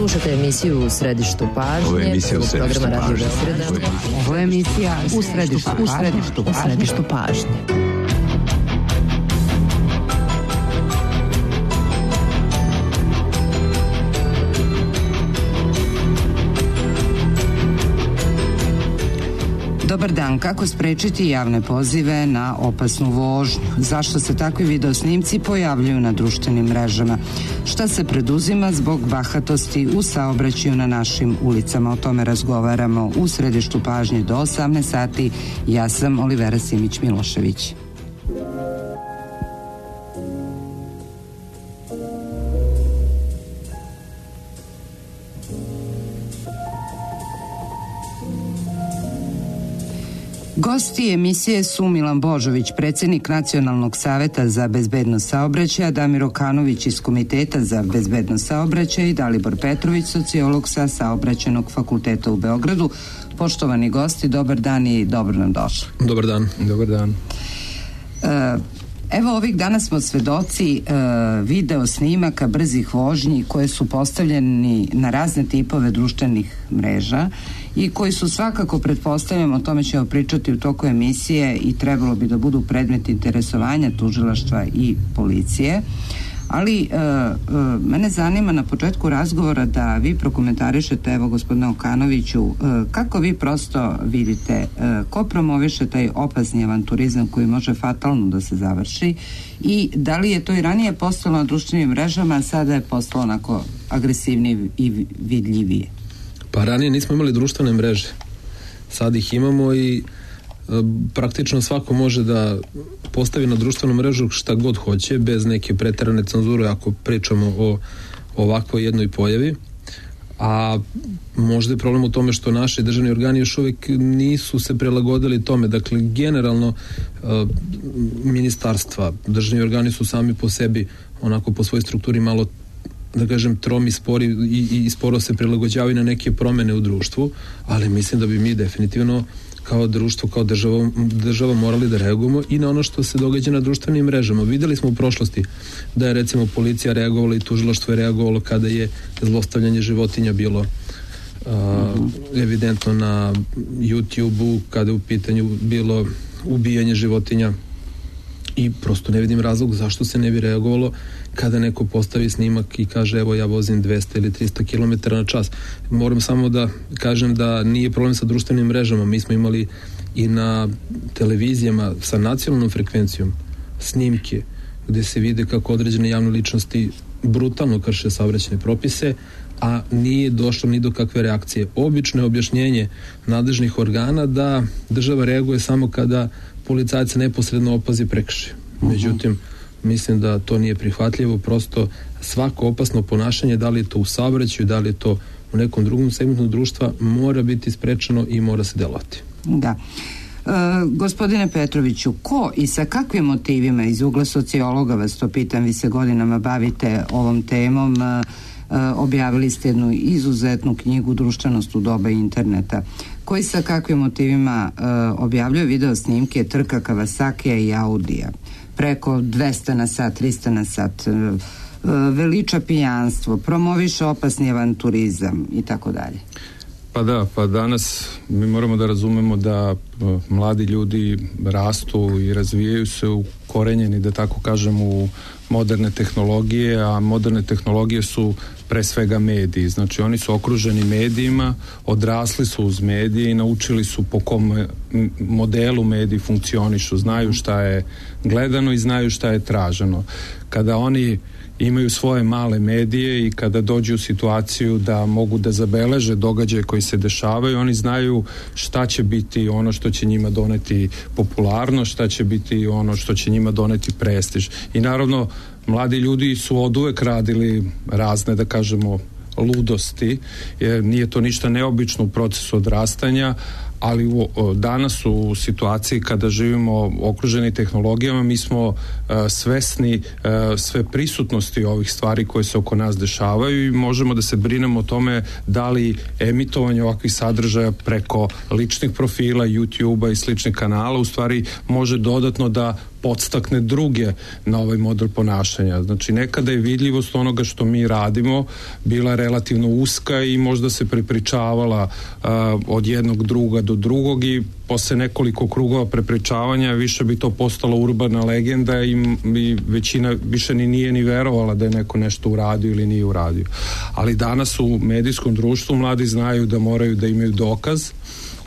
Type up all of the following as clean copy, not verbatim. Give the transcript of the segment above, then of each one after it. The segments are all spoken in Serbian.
Slušate emisiju U središtu pažnje. Ovo je emisija U središtu pažnje. Ovo je emisija U središtu pažnje. Dobar dan, kako sprečiti javne pozive na opasnu vožnju? Zašto se takvi videosnimci pojavljuju na društvenim mrežama? Šta se preduzima zbog bahatosti u saobraćaju na našim ulicama? O tome razgovaramo u središtu pažnje do 18 sati. Ja sam Olivera Simić-Milošević. Gosti emisije su Milan Božović, predsjednik Nacionalnog saveta za bezbednost saobraćaja, Damir Okanović iz Komiteta za bezbednost saobraćaja i Dalibor Petrović, sociolog sa Saobraćajnog fakulteta u Beogradu. Poštovani gosti, dobar dan i dobro nam došli. Dobar dan. Dobar dan. Evo, ovih dana smo svedoci video snimaka brzih vožnji koje su postavljeni na razne tipove društvenih mreža i koji su svakako, pretpostavljamo, o tome ćemo pričati u toku emisije i trebalo bi da budu predmet interesovanja tužilaštva i policije. Ali mene zanima na početku razgovora da vi prokomentarišete, evo gospodine Okanoviću, kako vi prosto vidite ko promoviše taj opasni avanturizam koji može fatalno da se završi i da li je to i ranije postalo na društvenim mrežama, a sada je postalo onako agresivnije i vidljivije? Pa ranije nismo imali društvene mreže, sad ih imamo i praktično svako može da postavi na društvenu mrežu šta god hoće, bez neke preterane cenzure ako pričamo o ovakvoj jednoj pojavi. A možda je problem u tome što naši državni organi još uvijek nisu se prilagodili tome. Dakle, generalno ministarstva, državni organi su sami po sebi, onako po svojoj strukturi malo, da kažem, tromi, spori i sporo se prilagođavaju na neke promjene u društvu, ali mislim da bi mi definitivno kao društvo, kao država morali da reagujemo i na ono što se događa na društvenim mrežama. Videli smo u prošlosti da je recimo policija reagovala i tužilaštvo je reagovalo kada je zlostavljanje životinja bilo evidentno na YouTube-u, kada je u pitanju bilo ubijanje životinja i prosto ne vidim razlog zašto se ne bi reagovalo kada neko postavi snimak i kaže evo ja vozim 200 ili 300 km na čas. Moram samo da kažem da nije problem sa društvenim mrežama. Mi smo imali i na televizijama sa nacionalnom frekvencijom snimke gde se vide kako određene javne ličnosti brutalno krše saobraćajne propise, a nije došlo ni do kakve reakcije. Obično je objašnjenje nadležnih organa da država reaguje samo kada policajac neposredno opazi prekršaj. Međutim, mislim da to nije prihvatljivo, prosto svako opasno ponašanje, da li je to u saobraćaju, da li je to u nekom drugom segmentu društva, mora biti sprečeno i mora se delovati. Da. Gospodine Petroviću, ko i sa kakvim motivima, iz ugla sociologa vas to pitam, vi se godinama bavite ovom temom, objavili ste jednu izuzetnu knjigu Društvenost u doba interneta, koji sa kakvim motivima objavljuje video snimke trka Kawasakija i Audija preko 200 na sat, 300 na sat, veliča pijanstvo, promoviše opasni avanturizam i tako dalje. Pa danas mi moramo da razumemo da mladi ljudi rastu i razvijaju se ukorenjeni, da tako kažem, u moderne tehnologije, a moderne tehnologije su pre svega mediji. Znači oni su okruženi medijima, odrasli su uz medije i naučili su po kom modelu mediji funkcionišu, znaju šta je gledano i znaju šta je traženo. Kada oni imaju svoje male medije i kada dođu u situaciju da mogu da zabeleže događaje koji se dešavaju, oni znaju šta će biti ono što će njima doneti popularnost, šta će biti ono što će njima doneti prestiž. I naravno, mladi ljudi su oduvek radili razne, da kažemo, ludosti, jer nije to ništa neobično u procesu odrastanja, ali danas u situaciji kada živimo okruženi tehnologijama, mi smo svesni sve prisutnosti ovih stvari koje se oko nas dešavaju i možemo da se brinemo o tome da li emitovanje ovakvih sadržaja preko ličnih profila, YouTube-a i sličnih kanala u stvari može dodatno da podstakne druge na ovaj model ponašanja. Znači, nekada je vidljivost onoga što mi radimo bila relativno uska i možda se prepričavala od jednog druga do drugog i posle nekoliko krugova prepričavanja više bi to postalo urbana legenda i većina više nije ni verovala da je neko nešto uradio ili nije uradio. Ali danas u medijskom društvu mladi znaju da moraju da imaju dokaz,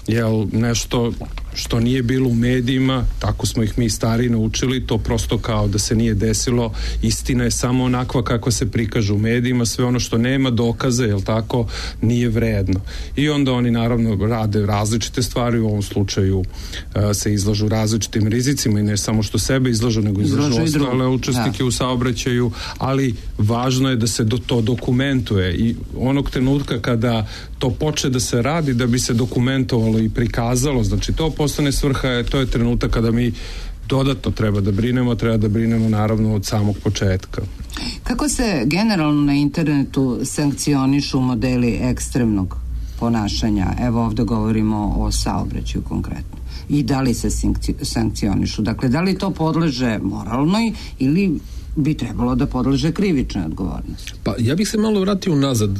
jer nešto što nije bilo u medijima, tako smo ih mi stariji naučili, to prosto kao da se nije desilo, istina je samo onakva kako se prikaže u medijima, sve ono što nema dokaze, jel tako, nije vredno. I onda oni naravno rade različite stvari, u ovom slučaju se izlažu različitim rizicima i ne samo što sebe izlažu, nego izlažu ostale učesnike u saobraćaju, ali važno je da se to dokumentuje i onog trenutka kada to počne da se radi, da bi se dokumentovalo i prikazalo, znači to postane svrha, to je trenutak kada mi dodatno treba da brinemo naravno od samog početka. Kako se generalno na internetu sankcionišu modeli ekstremnog ponašanja? Evo ovdje govorimo o saobraćaju konkretno. I da li se sankcionišu? Dakle, da li to podleže moralnoj ili bi trebalo da podleže krivičnoj odgovornosti? Pa ja bih se malo vratio nazad.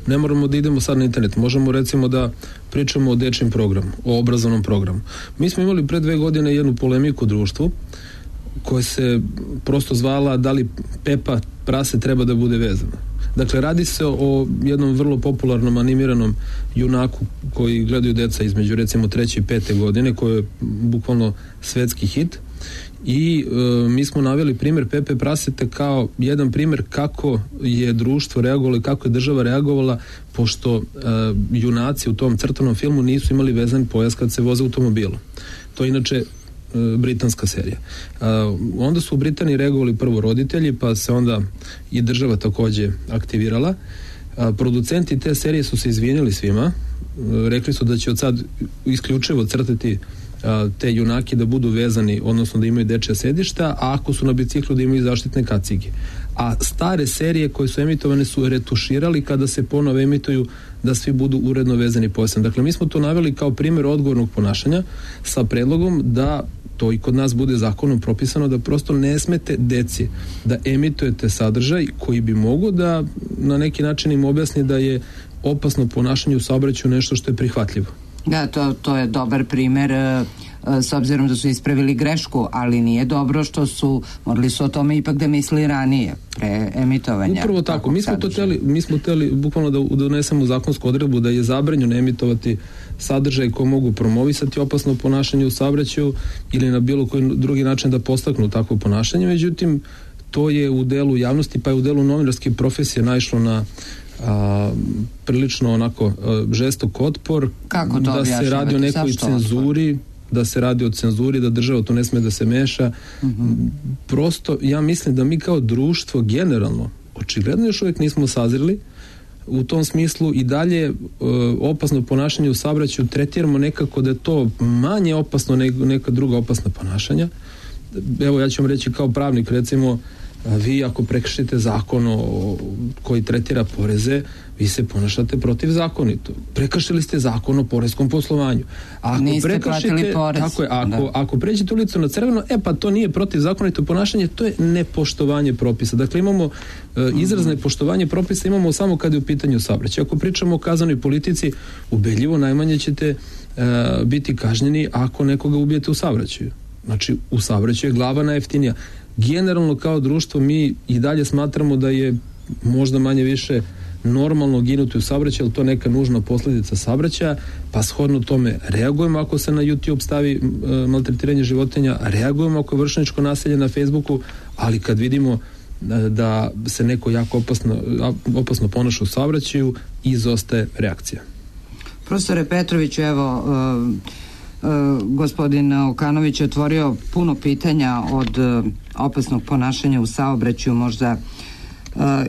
Ne moramo da idemo sad na internet. Možemo recimo da pričamo o dečjem programu, o obrazovnom programu. Mi smo imali pre 2 godine jednu polemiku u društvu koja se prosto zvala da li Pepa prase treba da bude vezana. Dakle, radi se o jednom vrlo popularnom animiranom junaku koji gledaju deca između recimo 3. i 5. godine, koji je bukvalno svetski hit. I mi smo naveli primjer Pepe Prasete kao jedan primjer kako je društvo reagovalo i kako je država reagovala, pošto junaci u tom crtanom filmu nisu imali vezan pojas kad se voze automobilom. To je inače britanska serija. Onda su u Britaniji reagovali prvo roditelji, pa se onda i država također aktivirala. Producenti te serije su se izvinjali svima, rekli su da će od sad isključivo crtati te junaki da budu vezani, odnosno da imaju dečja sedišta, a ako su na biciklu da imaju zaštitne kacige. A stare serije koje su emitovane su retuširali kada se ponovo emituju da svi budu uredno vezani pojasom. Dakle, mi smo to naveli kao primjer odgovornog ponašanja sa predlogom da to i kod nas bude zakonom propisano da prosto ne smete deci da emitujete sadržaj koji bi mogo da na neki način im objasni da je opasno ponašanje u saobraćaju nešto što je prihvatljivo. Da, to je dobar primjer s obzirom da su ispravili grešku, ali nije dobro što morali su o tome ipak da misli ranije, pre emitovanja. Upravo tako, mi smo hteli bukvalno da donesemo zakonsku odredbu da je zabranjeno emitovati sadržaj koji mogu promovisati opasno ponašanje u saobraćaju ili na bilo koji drugi način da podstaknu takvo ponašanje, međutim to je u delu javnosti pa je u delu novinarske profesije naišlo na prilično onako žestok otpor. Kako to da se radi o nekoj cenzuri, da država to ne sme da se meša. Prosto ja mislim da mi kao društvo generalno očigledno još uvijek nismo sazreli u tom smislu i dalje opasno ponašanje u saobraćaju tretiramo nekako da je to manje opasno nego neka druga opasna ponašanja. Evo ja ću vam reći kao pravnik, recimo vi ako prekršite zakon koji tretira poreze, vi se ponašate protivzakonito. Prekršili ste zakon o poreskom poslovanju. Niste platili porez. Tako je, ako pređete ulicu na crveno, pa to nije protivzakonito ponašanje, to je nepoštovanje propisa. Dakle, imamo izraz nepoštovanje propisa, imamo samo kad je u pitanju saobraćaj. Ako pričamo o kaznenoj politici, ubedljivo najmanje ćete biti kažnjeni ako nekoga ubijete u saobraćaju. Znači, u saobraćaju je glava najjeftinija. Generalno kao društvo mi i dalje smatramo da je možda manje više normalno ginuti u saobraćaju, ali to neka nužna posljedica saobraćaja, pa shodno tome reagujemo ako se na YouTube stavi maltretiranje životinja, reagujemo ako je vršnjačko nasilje na Facebooku, ali kad vidimo da se neko jako opasno ponaša u saobraćaju, izostaje reakcija. Profesore Petroviću, evo gospodin Okanović je otvorio puno pitanja od opasnog ponašanja u saobraćaju, možda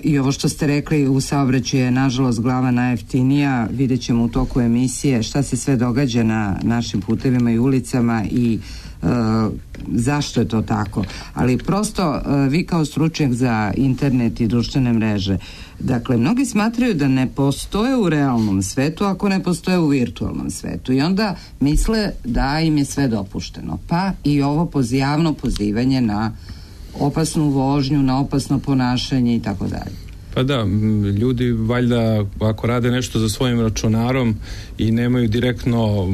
I ovo što ste rekli, u saobraćaju je nažalost glava najjeftinija. Vidjet ćemo u toku emisije šta se sve događa na našim putevima i ulicama i zašto je to tako. Ali prosto vi kao stručnjak za internet i društvene mreže, dakle, mnogi smatraju da ne postoje u realnom svetu ako ne postoje u virtualnom svetu i onda misle da im je sve dopušteno. Pa i ovo javno pozivanje na opasnu vožnju, na opasno ponašanje i tako dalje. Pa da, ljudi valjda ako rade nešto za svojim računarom i nemaju direktno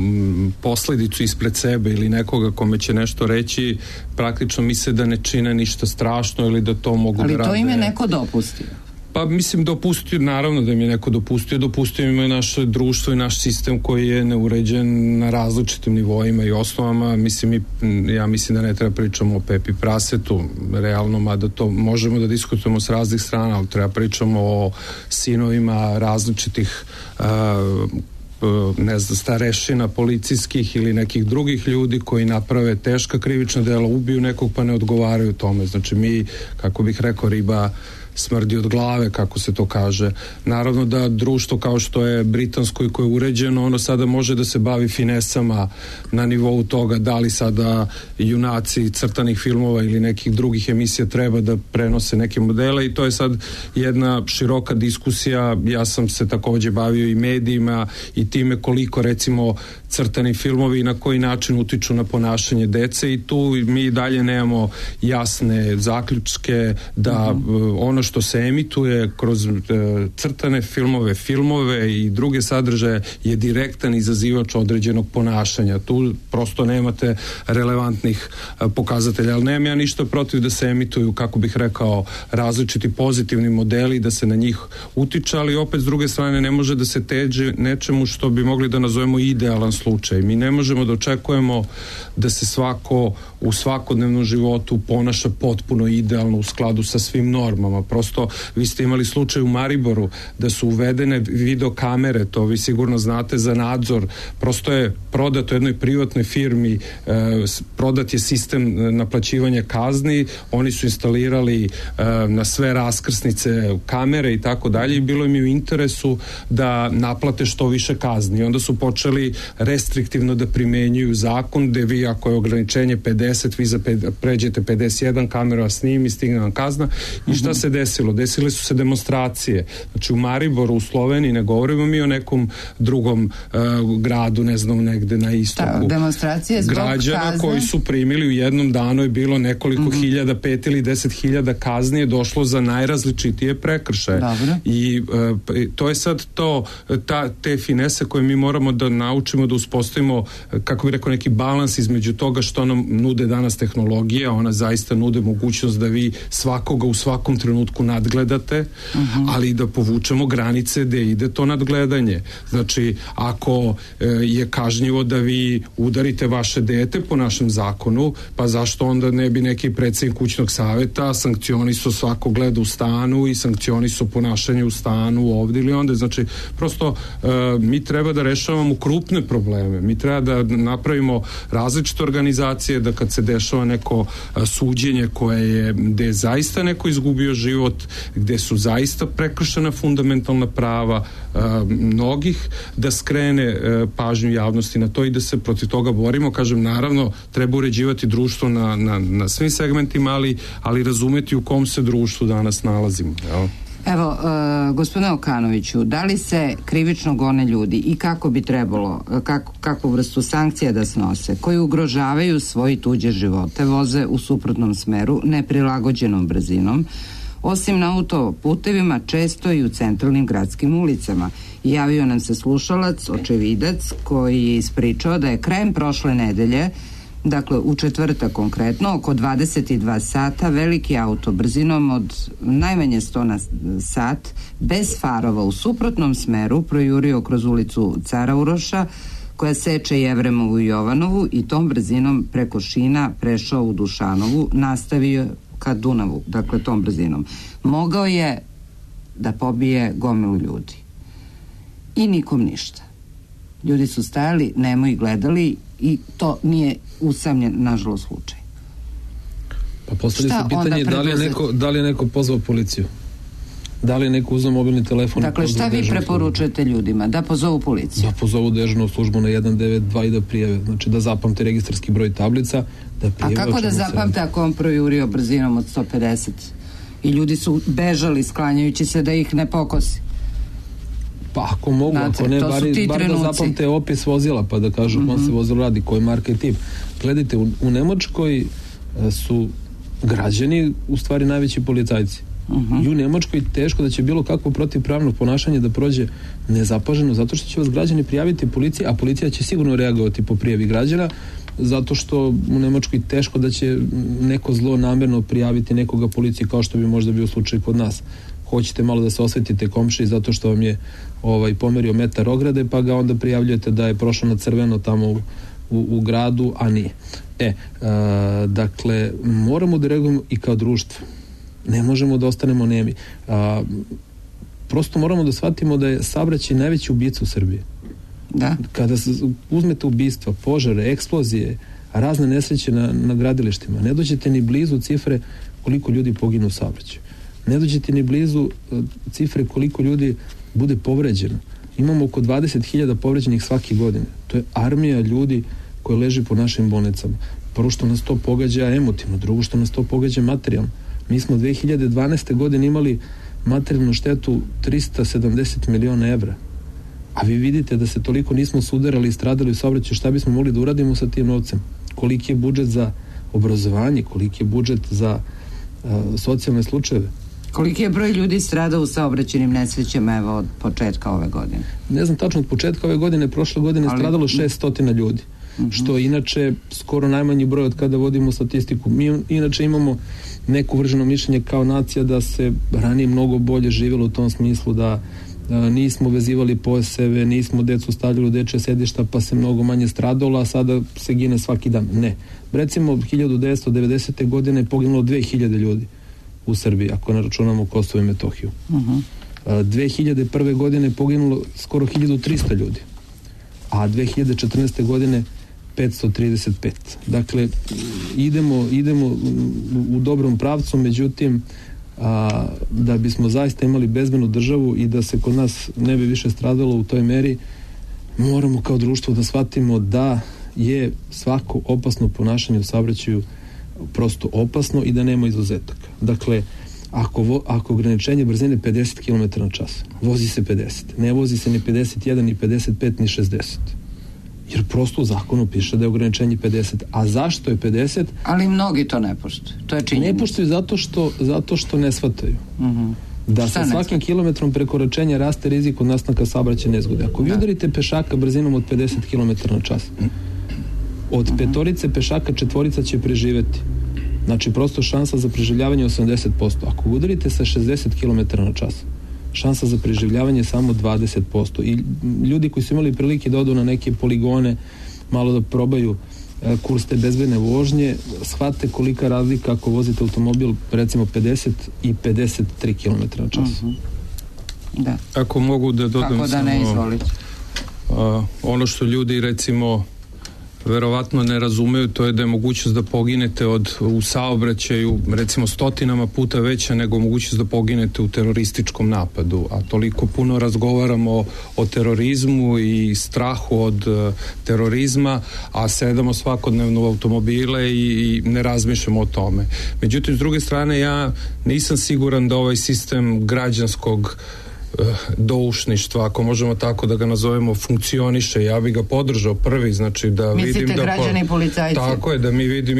posljedicu ispred sebe ili nekoga kome će nešto reći, praktično misle da ne čine ništa strašno ili da to mogu da rade. Ali to im je neko dopustio. Pa mislim dopustio, naravno da mi je neko dopustio im je naše društvo i naš sistem koji je neuređen na različitim nivoima i osnovama. Ja mislim da ne treba pričamo o Pepi Prasetu, realno, mada to možemo da diskutujemo s raznih strana, ali treba pričamo o sinovima različitih starešina policijskih ili nekih drugih ljudi koji naprave teška krivična dela, ubiju nekog pa ne odgovaraju tome. Znači mi, kako bih rekao, riba smrdi od glave, kako se to kaže. Naravno da društvo kao što je britansko i koje je uređeno, ono sada može da se bavi finesama na nivou toga da li sada junaci crtanih filmova ili nekih drugih emisija treba da prenose neke modele i to je sad jedna široka diskusija. Ja sam se takođe bavio i medijima i time koliko recimo crtani filmovi i na koji način utiču na ponašanje dece i tu mi dalje nemamo jasne zaključke da ono što se emituje kroz crtane filmove i druge sadržaje je direktan izazivač određenog ponašanja. Tu prosto nemate relevantnih pokazatelja, ali nemam ja ništa protiv da se emituju, kako bih rekao, različiti pozitivni modeli, da se na njih utiče, ali opet s druge strane ne može da se teže nečemu što bi mogli da nazovemo idealan slučaj. Mi ne možemo da očekujemo da se svako u svakodnevnom životu ponaša potpuno idealno u skladu sa svim normama. Prosto vi ste imali slučaj u Mariboru da su uvedene video kamere, to vi sigurno znate, za nadzor. Prosto je prodato jednoj privatnoj firmi, prodat je sistem naplaćivanja kazni, oni su instalirali na sve raskrsnice kamere i tako dalje i bilo im je u interesu da naplate što više kazni. Onda su počeli restriktivno da primenjuju zakon gde vi, ako je ograničenje 50, vi pređete 51, kamera snimi, stigne vam kazna. I šta se desilo? Desile su se demonstracije. Znači u Mariboru, u Sloveniji, ne govorimo mi o nekom drugom gradu, ne znam, negde na istoku. Demonstracije zbog građana kazne koji su primili u jednom danu je bilo nekoliko hiljada, 5 ili 10.000 kazni je došlo za najrazličitije prekršaje. Dobro. I to je sad te finese koje mi moramo da naučimo da uspostavimo, kako bih rekao, neki balans između toga što nam nude danas tehnologija. Ona zaista nude mogućnost da vi svakoga u svakom trenutku nadgledate, ali da povučemo granice gde ide to nadgledanje. Znači, ako je kažnjivo da vi udarite vaše dete po našem zakonu, pa zašto onda ne bi neki predsjednik kućnog saveta sankcionisao svako gleda u stanu i sankcionisao ponašanje u stanu ovdje ili onda. Znači, prosto mi treba da rešavamo krupne probleme. Mi treba da napravimo različite organizacije, da kad se dešava neko suđenje gde je zaista neko izgubio život, gde su zaista prekršena fundamentalna prava mnogih, da skrene pažnju javnosti na to i da se protiv toga borimo. Kažem, naravno, treba uređivati društvo na svim segmentima, ali razumeti u kom se društvu danas nalazimo. Evo, gospodine Okanoviću, da li se krivično gone ljudi i kako bi trebalo, kakvu vrstu sankcija da snose, koji ugrožavaju svoje tuđe živote, voze u suprotnom smeru, neprilagođenom brzinom, osim na autoputevima, često i u centralnim gradskim ulicama. Javio nam se slušalac, očevidac, koji je ispričao da je krajem prošle nedelje, dakle u četvrtak konkretno, oko 22 sata, veliki auto brzinom od najmanje 100 na sat, bez farova u suprotnom smeru, projurio kroz ulicu Cara Uroša, koja seče Jevremovu i Jovanovu, i tom brzinom preko šina prešao u Dušanovu, nastavio ka Dunavu, dakle tom brzinom. Mogao je da pobije gomilu ljudi. I nikom ništa. Ljudi su stajali, nemo i gledali, i to nije usamljen, nažalost, slučaj. Pa postavlja se pitanje da li je neko pozvao policiju? da li je neko uzeo mobilni telefon. Dakle, šta vi preporučujete ljudima? Da pozovu policiju? Da pozovu dežurnu službu na 192 i da prijave. Znači da zapamte registarski broj tablica, da prijave. A kako da zapamte ako on projurio brzinom od 150 i ljudi su bežali sklanjajući se da ih ne pokosi? Pa ako mogu, ako ne, bar da zapamte opis vozila, pa da kažu on se vozilo radi, koji marka i tip. Gledajte, u Nemačkoj su građani u stvari najveći policajci. I u Nemačkoj teško da će bilo kakvo protivpravno ponašanje da prođe nezapaženo, zato što će vas građani prijaviti policiji, a policija će sigurno reagovati po prijavi građana, zato što u Nemačkoj teško da će neko zlo namerno prijaviti nekoga policiji, kao što bi možda bio slučaj kod nas. Hoćete malo da se osvetite komšiji zato što vam je pomerio metar ograde, pa ga onda prijavljujete da je prošao na crveno tamo u gradu, a nije. Dakle, moramo da reagujemo i kao društvo. Ne možemo da ostanemo nemi. Prosto moramo da shvatimo da je saobraćaj najveći ubica u Srbiji. Da. Kada uzmete ubistva, požare, eksplozije, razne nesreće na gradilištima, ne dođete ni blizu cifre koliko ljudi poginu u saobraćaju. Ne dođete ni blizu cifre koliko ljudi bude povređeno. Imamo oko 20.000 povređenih svake godine. To je armija ljudi koji leži po našim bolnicama. Prvo što nas to pogađa emotivno, drugo što nas to pogađa materijalno. Mi smo 2012. godine imali materijalnu štetu 370 miliona evra. A vi vidite da se toliko nismo sudarali i stradali u saobraćaju, šta bismo mogli da uradimo sa tim novcem? Koliki je budžet za obrazovanje, koliki je budžet za socijalne slučajeve? Koliki je broj ljudi stradao u saobraćajnim nesrećama evo od početka ove godine? Ne znam tačno, od početka ove godine, prošle godine stradalo 600 ljudi. Što inače skoro najmanji broj od kada vodimo statistiku. Mi inače imamo neko uvrženo mišljenje kao nacija da se ranije mnogo bolje živjelo u tom smislu da nismo vezivali pojaseve, nismo decu stavljali u dečje sedišta pa se mnogo manje stradalo, a sada se gine svaki dan. Ne. Recimo 1990. godine je poginulo 2000 ljudi u Srbiji, ako ne računamo Kosovo i Metohiju. 2001. godine je poginulo skoro 1300 ljudi, a 2014. godine 535. Dakle, idemo u dobrom pravcu, međutim, da bismo zaista imali bezbednu državu i da se kod nas ne bi više stradalo u toj meri, moramo kao društvo da shvatimo da je svako opasno ponašanje u saobraćaju prosto opasno i da nema izuzetaka. Dakle, ako ograničenje brzine 50 km na čas, vozi se 50, ne vozi se ni 51, ni 55, ni 60. Jer prosto u zakonu piše da je ograničenje 50. A zašto je 50? Ali mnogi to ne poštuju. To je činjenica. Ne poštuju zato što ne shvataju. Da sa svakim kilometrom prekoračenja raste rizik od nastanka saobraćajne nezgode. Ako vi udarite pešaka brzinom od 50 km na čas, od petorice pešaka četvorica će preživeti. Znači, prosto šansa za preživljavanje je 80%. Ako udarite sa 60 km na čas, šansa za preživljavanje je samo 20%. I ljudi koji su imali prilike da odu na neke poligone, malo da probaju kurs te bezbedne vožnje, shvate kolika razlika ako vozite automobil recimo 50 i 53 km na čas. Da. Ako mogu da dodam kako da ne, izvolite. Ono što ljudi recimo verovatno ne razumeju, to je da je mogućnost da poginete u saobraćaju recimo stotinama puta veća nego mogućnost da poginete u terorističkom napadu, a toliko puno razgovaramo o terorizmu i strahu od terorizma, a sedamo svakodnevno u automobile i ne razmišljamo o tome. Međutim, s druge strane, ja nisam siguran da ovaj sistem građanskog doušništva, ako možemo tako da ga nazovemo, funkcioniše. Ja bih ga podržao prvi, znači da mislite vidim da građani i policajci? Tako je, da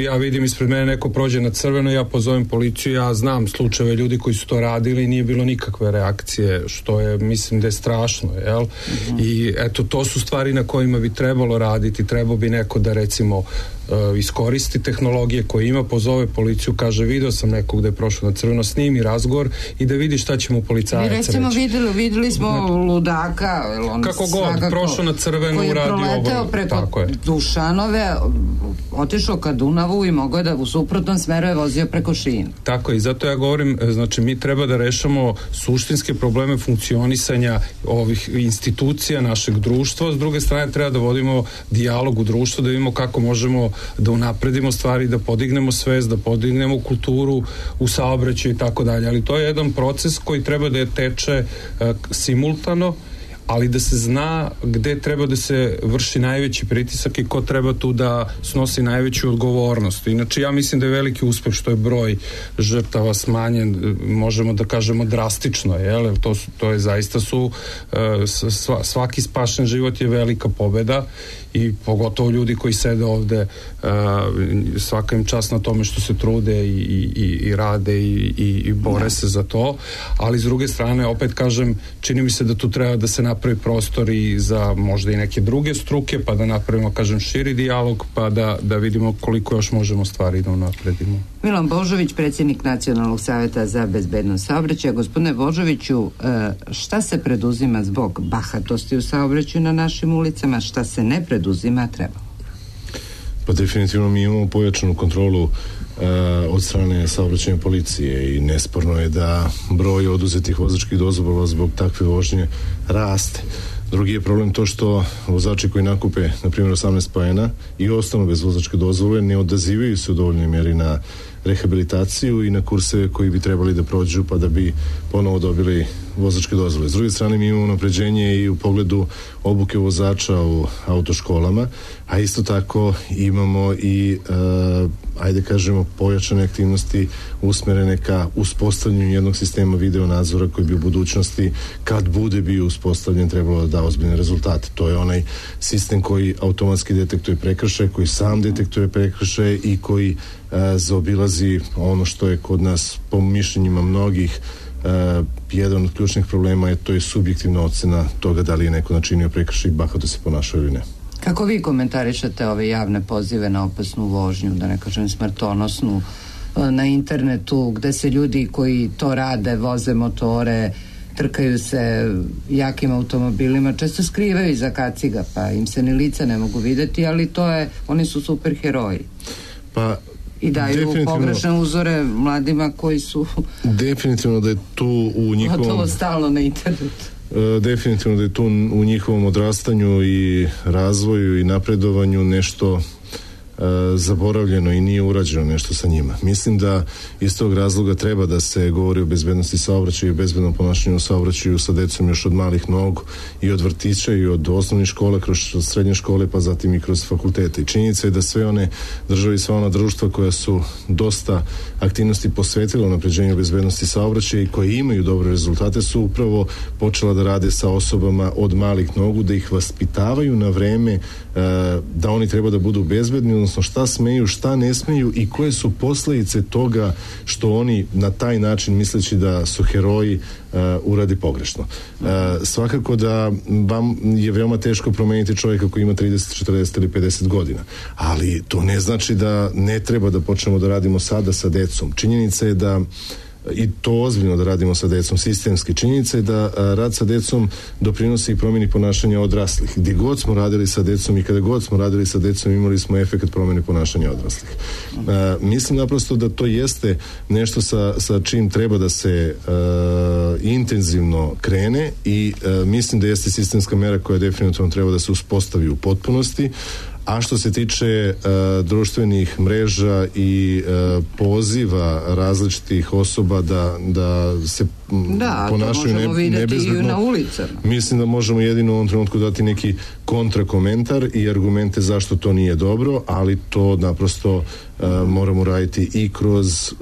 ja vidim ispred mene neko prođe na crveno, ja pozovem policiju, ja znam slučajeve ljudi koji su to radili i nije bilo nikakve reakcije, što je, mislim da je strašno, jel? I eto, to su stvari na kojima bi trebalo raditi, trebao bi neko da recimo iskoristi tehnologije koje ima, pozove policiju, kaže video sam nekog da je prošao na crveno, snimi razgovor i da vidi šta će mu policajac reći. Mi recimo videli smo ludaka, kako god, prošao na crveno, uradio ovo. Koji je proleteo preko Dušanove, otišao ka Dunavu i mogao je da u suprotnom smeru je vozio preko šina. Tako je, i zato ja govorim, znači mi treba da rešamo suštinske probleme funkcionisanja ovih institucija našeg društva, s druge strane treba da vodimo dijalog u društvu, da vidimo kako možemo da unapredimo stvari, da podignemo svest, da podignemo kulturu u saobraćaju i tako dalje, ali to je jedan proces koji treba da je teče simultano, ali da se zna gde treba da se vrši najveći pritisak i ko treba tu da snosi najveću odgovornost. Inače, ja mislim da je veliki uspeh što je broj žrtava smanjen, možemo da kažemo drastično, jel? To je zaista svaki spašen život je velika pobeda i pogotovo ljudi koji sede ovde, svaka im čast na tome što se trude i rade i bore se za to, ali s druge strane, opet kažem, čini mi se da tu treba da se napravi prostor i za možda i neke druge struke, pa da napravimo, kažem, širi dijalog, pa da vidimo koliko još možemo stvari da napredimo. Milan Božović, predsjednik Nacionalnog savjeta za bezbednost saobraćaja. Gospodine Božoviću, šta se preduzima zbog bahatosti u saobraćaju na našim ulicama, šta se ne preduzima, treba? Pa definitivno mi imamo pojačanu kontrolu od strane saobraćajne policije i nesporno je da broj oduzetih vozačkih dozvola zbog takve vožnje raste. Drugi je problem to što vozači koji nakupe, na primjer, 18 poena i ostanu bez vozačke dozvole ne odazivaju se u dovoljnoj mjeri na rehabilitaciju i na kurseve koji bi trebali da prođu pa da bi ponovo dobili vozačke dozvole. S druge strane, mi imamo unapređenje i u pogledu obuke vozača u autoškolama, a isto tako imamo i ajde kažemo pojačane aktivnosti usmerene ka uspostavljanju jednog sistema video nadzora koji bi u budućnosti, kad bude bio uspostavljen, trebalo da da ozbiljne rezultate. To je onaj sistem koji automatski detektuje prekršaje, koji sam detektuje prekršaje i koji zaobilazi ono što je kod nas, po mišljenjima mnogih, jedan od ključnih problema je to je subjektivna ocena toga da li je neko načinio prekršaj i bahato se ponašao ili ne. Kako vi komentarišete ove javne pozive na opasnu vožnju, da ne kažem smrtonosnu, na internetu gde se ljudi koji to rade, voze motore, trkaju se jakim automobilima, često skrivaju iza kaciga, pa im se ni lica ne mogu videti, ali to je, oni su super heroji. Pa i daju pogrešne uzore mladima koji su definitivno da je tu u njihovom gotovo stalno na internetu. Definitivno da je tu u njihovom odrastanju i razvoju i napredovanju nešto zaboravljeno i nije urađeno nešto sa njima. Mislim da iz tog razloga treba da se govori o bezbednosti saobraćaja i bezbednom ponašanju u saobraćaju sa decom još od malih nogu i od vrtića i od osnovnih škola, kroz srednje škole, pa zatim i kroz fakultete. I činjenica je da sve one države i sva ona društva koja su dosta aktivnosti posvetila unapređenju bezbednosti saobraćaja i koje imaju dobre rezultate su upravo počela da rade sa osobama od malih nogu, da ih vaspitavaju na vreme da oni treba da budu bezbedni, odnosno šta smeju, šta ne smeju i koje su posledice toga što oni na taj način, misleći da su heroji, uradi pogrešno. Svakako da vam je veoma teško promeniti čovjeka koji ima 30, 40 ili 50 godina, ali to ne znači da ne treba da počnemo da radimo sada sa decom. Činjenica je da i to ozbiljno da radimo sa decom, sistemski. Činjenica je da rad sa decom doprinosi i promjeni ponašanja odraslih. Gdje god smo radili sa decom i kada god smo radili sa decom imali smo efekt promjene ponašanja odraslih. Mislim naprosto da to jeste nešto sa čim treba da se intenzivno krene i mislim da jeste sistemska mera koja definitivno treba da se uspostavi u potpunosti. A što se tiče društvenih mreža i poziva različitih osoba da se ponašaju nebezbedno, na ulicama. Mislim da možemo jedino u ovom trenutku dati neki kontrakomentar i argumente zašto to nije dobro, ali to naprosto moramo raditi i kroz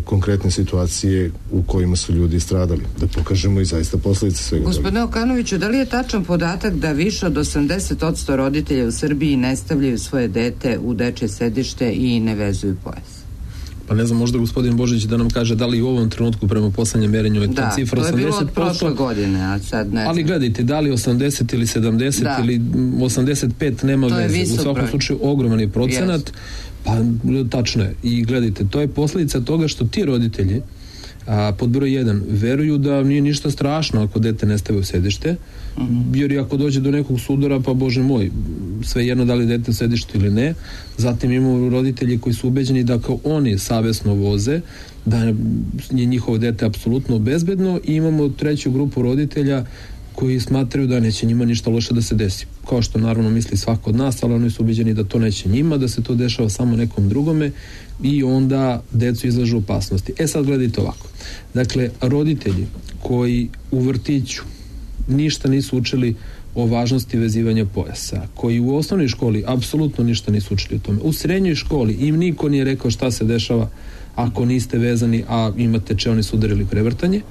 konkretne situacije u kojima su ljudi stradali, da pokažemo i zaista posljedice svega. Gospodine Okanoviću, da li je tačan podatak da više od 80% roditelja u Srbiji ne stavljaju svoje dete u dečje sedište i ne vezuju pojas? Pa ne znam, možda gospodin Božić da nam kaže da li u ovom trenutku prema poslednjem merenju je ta cifra 80%. Da, to je bilo od prošle godine, a sad ne. Ali gledajte, da li 80 ili 70 ili 85 nema veze. U svakom slučaju ogroman je procenat. Pa tačno je. I gledajte, to je posljedica toga što ti roditelji Pod broj 1, veruju da nije ništa strašno ako dete ne stave u sedište, jer i ako dođe do nekog sudara, pa bože moj, sve jedno da li dete u sedištu ili ne. Zatim imamo roditelji koji su ubeđeni da kao oni savesno voze, da je njihovo dete apsolutno bezbedno, i imamo treću grupu roditelja koji smatraju da neće njima ništa loše da se desi. Kao što naravno misli svako od nas, ali oni su ubeđeni da to neće njima, da se to dešava samo nekom drugome, i onda decu izlažu opasnosti. Sad gledajte ovako. Dakle, roditelji koji u vrtiću ništa nisu učili o važnosti vezivanja pojasa, koji u osnovnoj školi apsolutno ništa nisu učili o tome, u srednjoj školi im niko nije rekao šta se dešava ako niste vezani, a imate čeoni sudar ili prevrtanje,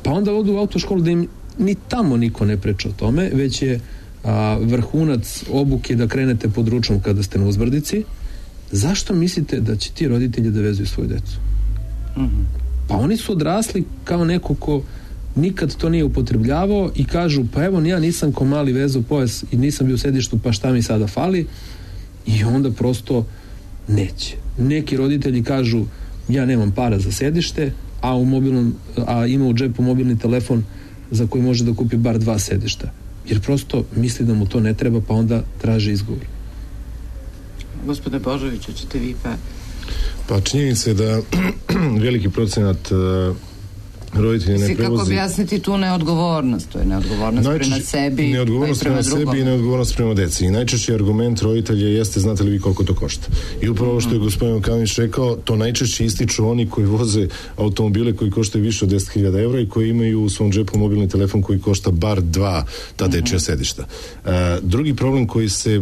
pa onda odu u autoškolu da im ni tamo niko ne priča o tome, već je vrhunac obuke da krenete pod ručnom kada ste na uzbrdici. Zašto mislite da će ti roditelji da vezuju svoju decu? Pa oni su odrasli kao neko ko nikad to nije upotrebljavao i kažu, pa evo ja nisam ko mali vezao pojas i nisam bio u sedištu, pa šta mi sada fali? I onda prosto neće. Neki roditelji kažu, ja nemam para za sedište, a ima u džepu mobilni telefon za koji može da kupi bar 2 sedišta. Jer prosto misli da mu to ne treba, pa onda traži izgovor. Gospodine Božoviću, ćete vi pa... Pa činjenica je da veliki procenat roditelji ne prevozi... Kako objasniti tu neodgovornost? To je neodgovornost prema sebi, neodgovornost prema sebi i neodgovornost prema deci. I najčešći argument roditelja jeste, znate li vi koliko to košta? I upravo ovo što je gospodin Okanović rekao, to najčešće ističu oni koji voze automobile koji koštaju više od 10.000 evra i koji imaju u svom džepu mobilni telefon koji košta bar 2 ta dečja sedišta. Drugi problem koji se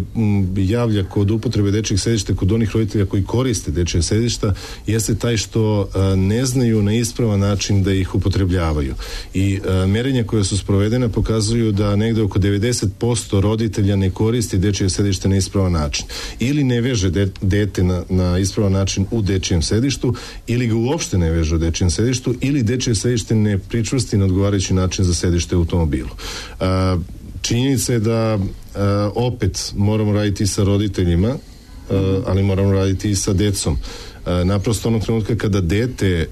javlja kod upotrebe dečjih sedišta kod onih roditelja koji koriste dečja sedišta jeste taj što ne znaju na ispravan način da ih upotrebljavaju. I merenja koja su sprovedena pokazuju da negde oko 90% roditelja ne koristi dečje sedište na ispravan način. Ili ne veže dete na ispravan način u dečjem sedištu, ili ga uopšte ne veže u dečjem sedištu, ili dečje sedište ne pričvrsti na odgovarajući način za sedište u automobilu. Činjenica je da opet moramo raditi sa roditeljima, ali moramo raditi i sa decom. Naprosto onog trenutka kada dete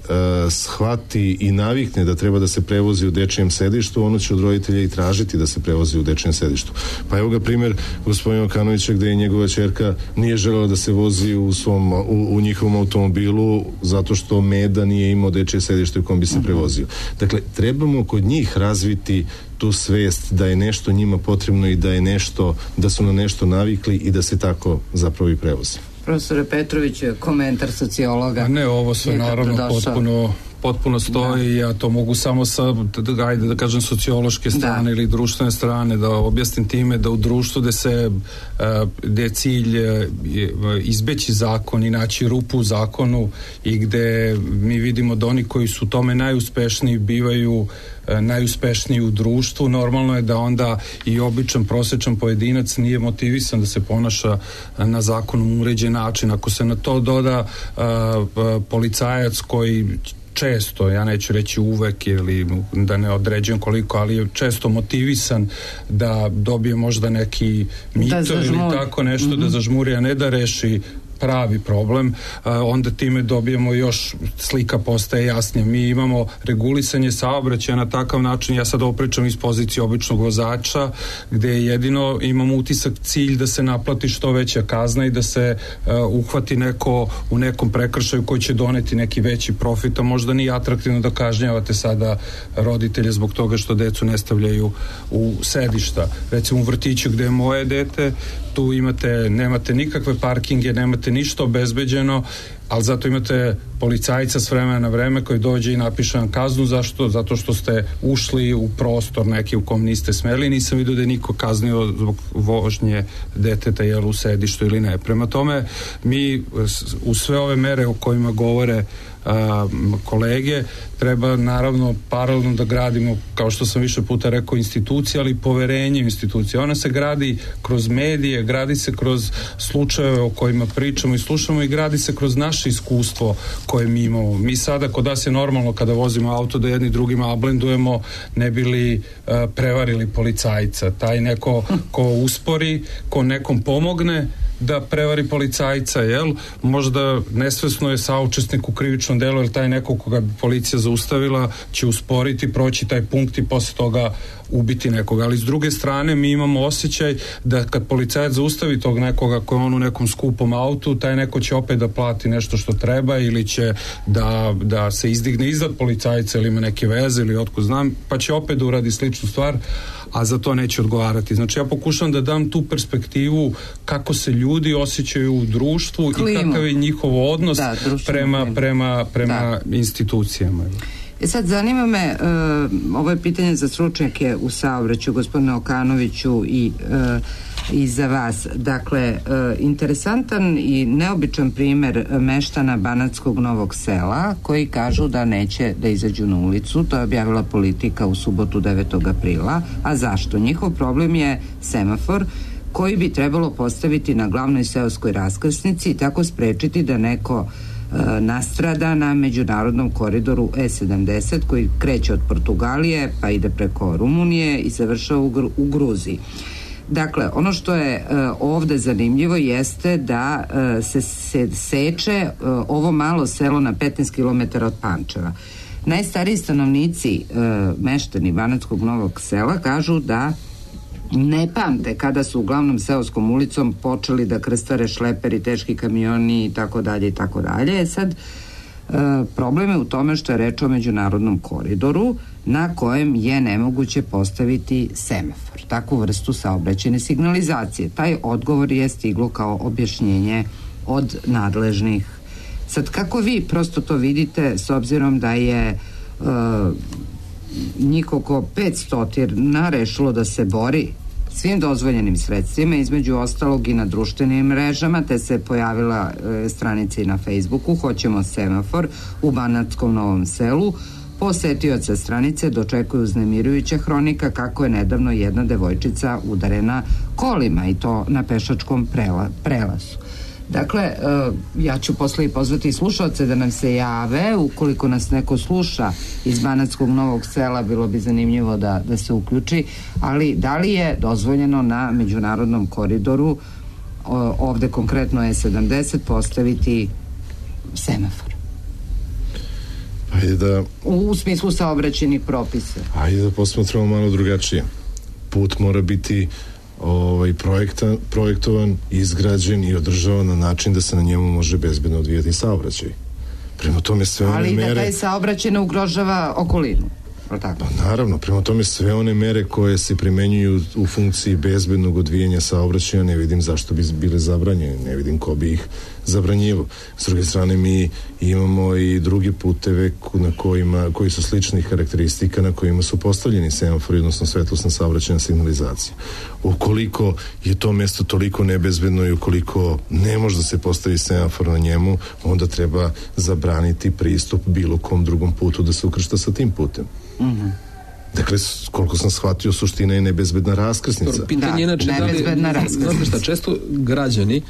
shvati i navikne da treba da se prevozi u dečijem sedištu, ono će od roditelja i tražiti da se prevozi u dečijem sedištu. Pa evo ga primjer gospodina Okanovića gde je njegova ćerka nije želela da se vozi u njihovom automobilu zato što Meda nije imao dečije sedište u kom bi se prevozio. Dakle, trebamo kod njih razviti tu svest da je nešto njima potrebno i da su na nešto navikli i da se tako zapravo i prevoze. Profesore Petrović, komentar sociologa. Ne, ovo sve naravno potpuno stoji, ja to mogu samo sa, ajde da kažem, sociološke strane ili društvene strane da objasnim time da u društvu gde je cilj izbeći zakon i naći rupu u zakonu i gde mi vidimo da oni koji su tome najuspešniji bivaju najuspešniji u društvu, normalno je da onda i običan prosečan pojedinac nije motivisan da se ponaša na zakonom uređen način. Ako se na to doda policajac koji često, ja neću reći uvek ili da ne određujem koliko, ali je često motivisan da dobije možda neki mito ili tako nešto, da zažmuri, a ne da reši pravi problem, onda time dobijemo još, slika postaje jasnija. Mi imamo regulisanje saobraćaja na takav način, ja sad opričam iz pozicije običnog vozača, gde jedino imamo utisak cilj da se naplati što veća kazna i da se uhvati neko u nekom prekršaju koji će doneti neki veći profit, a možda nije atraktivno da kažnjavate sada roditelje zbog toga što decu ne stavljaju u sedišta. Recimo u vrtiću gde je moje dete, tu nemate nikakve parkinge, nemate ništa obezbeđeno, ali zato imate policajca s vremena na vreme koji dođe i napiše vam kaznu. Zašto? Zato što ste ušli u prostor neki u kom niste smeli. Nisam vidio da je niko kaznio zbog vožnje deteta jel u sedištu ili ne. Prema tome, mi u sve ove mere o kojima govore kolege, treba naravno paralelno da gradimo, kao što sam više puta rekao, institucije, ali poverenje u institucije. Ona se gradi kroz medije, gradi se kroz slučajeve o kojima pričamo i slušamo i gradi se kroz naše iskustvo koje mi imamo. Mi sada, kod nas je normalno kada vozimo auto da jedni drugima ablendujemo ne bi li prevarili policajca. Taj neko ko uspori, ko nekom pomogne da prevari policajca, jel? Možda nesvesno je saučesnik u krivičnom delu, jer taj neko koga bi policija zaustavila će usporiti, proći taj punkt i posle toga ubiti nekoga. Ali s druge strane mi imamo osjećaj da kad policajac zaustavi tog nekoga koji je on u nekom skupom autu, taj neko će opet da plati nešto što treba ili će da se izdigne iznad policajca ili ima neke veze ili otko znam, pa će opet da uradi sličnu stvar, a za to neće odgovarati. Znači ja pokušam da dam tu perspektivu kako se ljudi osjećaju u društvu i kakav je njihov odnos prema institucijama. Sad zanima me, ovo je pitanje za stručnjake u saobraćaju, gospodine Okanoviću, i za vas. Dakle, interesantan i neobičan primer meštana Banatskog Novog Sela koji kažu da neće da izađu na ulicu. To je objavila Politika u subotu 9. aprila. A zašto? Njihov problem je semafor koji bi trebalo postaviti na glavnoj seoskoj raskrsnici i tako sprečiti da neko nastrada na međunarodnom koridoru E70 koji kreće od Portugalije pa ide preko Rumunije i završava u Gruziji. Dakle, ono što je ovde zanimljivo jeste da se seče ovo malo selo na 15 km od Pančeva. Najstariji stanovnici, meštani Banatskog Novog Sela, kažu da ne pamte kada su uglavnom seoskom ulicom počeli da krstare šleperi, teški kamioni i tako dalje i tako dalje. Sad, problem je u tome što je reč o međunarodnom koridoru na kojem je nemoguće postaviti semafor, takvu vrstu saobraćajne signalizacije. Taj odgovor je stiglo kao objašnjenje od nadležnih. Sad, kako vi prosto to vidite s obzirom da je njih oko 500 rešilo da se bori svim dozvoljenim sredstvima, između ostalog i na društvenim mrežama, te se pojavila stranica i na Facebooku Hoćemo semafor u Banatskom Novom Selu. Posetioca stranice dočekuju uznemirujuća hronika kako je nedavno jedna devojčica udarena kolima i to na pešačkom prelazu. Dakle, ja ću posle i pozvati slušaoce da nam se jave, ukoliko nas neko sluša iz Banatskog Novog Sela, bilo bi zanimljivo da se uključi, ali da li je dozvoljeno na međunarodnom koridoru, ovde konkretno je 70, postaviti semafor? Ajde da... U smislu saobraćajnih propisa. Ajde da posmatramo malo drugačije. Put mora biti projektovan, izgrađen i održavan na način da se na njemu može bezbedno odvijati saobraćaj. Prema tome sve one mere... Ali da taj saobraćaj ne ugrožava okolinu. Pa naravno, prema tome sve one mere koje se primenjuju u funkciji bezbednog odvijanja saobraćaja ne vidim zašto bi bile zabranjene, ne vidim ko bi ih zabranjivo. S druge strane mi imamo i drugi puteve koji su sličnih karakteristika na kojima su postavljeni semafori, odnosno svetlosna saobraćajna signalizacija. Ukoliko je to mesto toliko nebezbedno i ukoliko ne može da se postavi semafor na njemu, onda treba zabraniti pristup bilo kom drugom putu da se ukršta sa tim putem. Dakle, koliko sam shvatio, suština je nebezbedna raskrsnica. Pitanje inače nebezbedna raskrsnica. Često građani